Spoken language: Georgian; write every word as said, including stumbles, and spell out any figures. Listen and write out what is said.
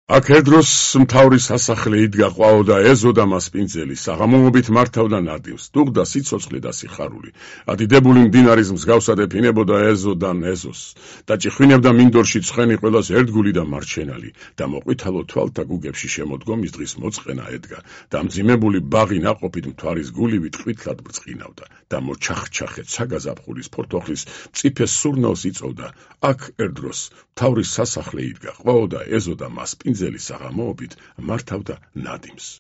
აქ ერდროს მთავრის სასახლე იდგა ყვაოდა ეზო და მასპინძელი საღამოობით მართავდა ნადიმს დუღდა სიცოცხლე და სიხარული ადიდებული მდინარის მსგავსად ეფინებოდა ეზოდან ეზოს და ჭიხვინებდა მინდორში ცხენი ყველას ერთგული და მარჩენალი და მოყვითალო თვალთა გუგებში შემოდგომის დღის მოწყენა ედგა და მძიმებული ბაღი ნაყოფით მთვარის გულივით ყვითლად ბრწყინავდა და მოჩახჩახეთ საგაზაფხულის ფორთოხლის მწიფე სურნელს იწოვდა აქ ერდროს მთავრის სასახლე იდგა ყვაოდა ეზო და მასპინძელი საღამოობით მართავდა ნადიმს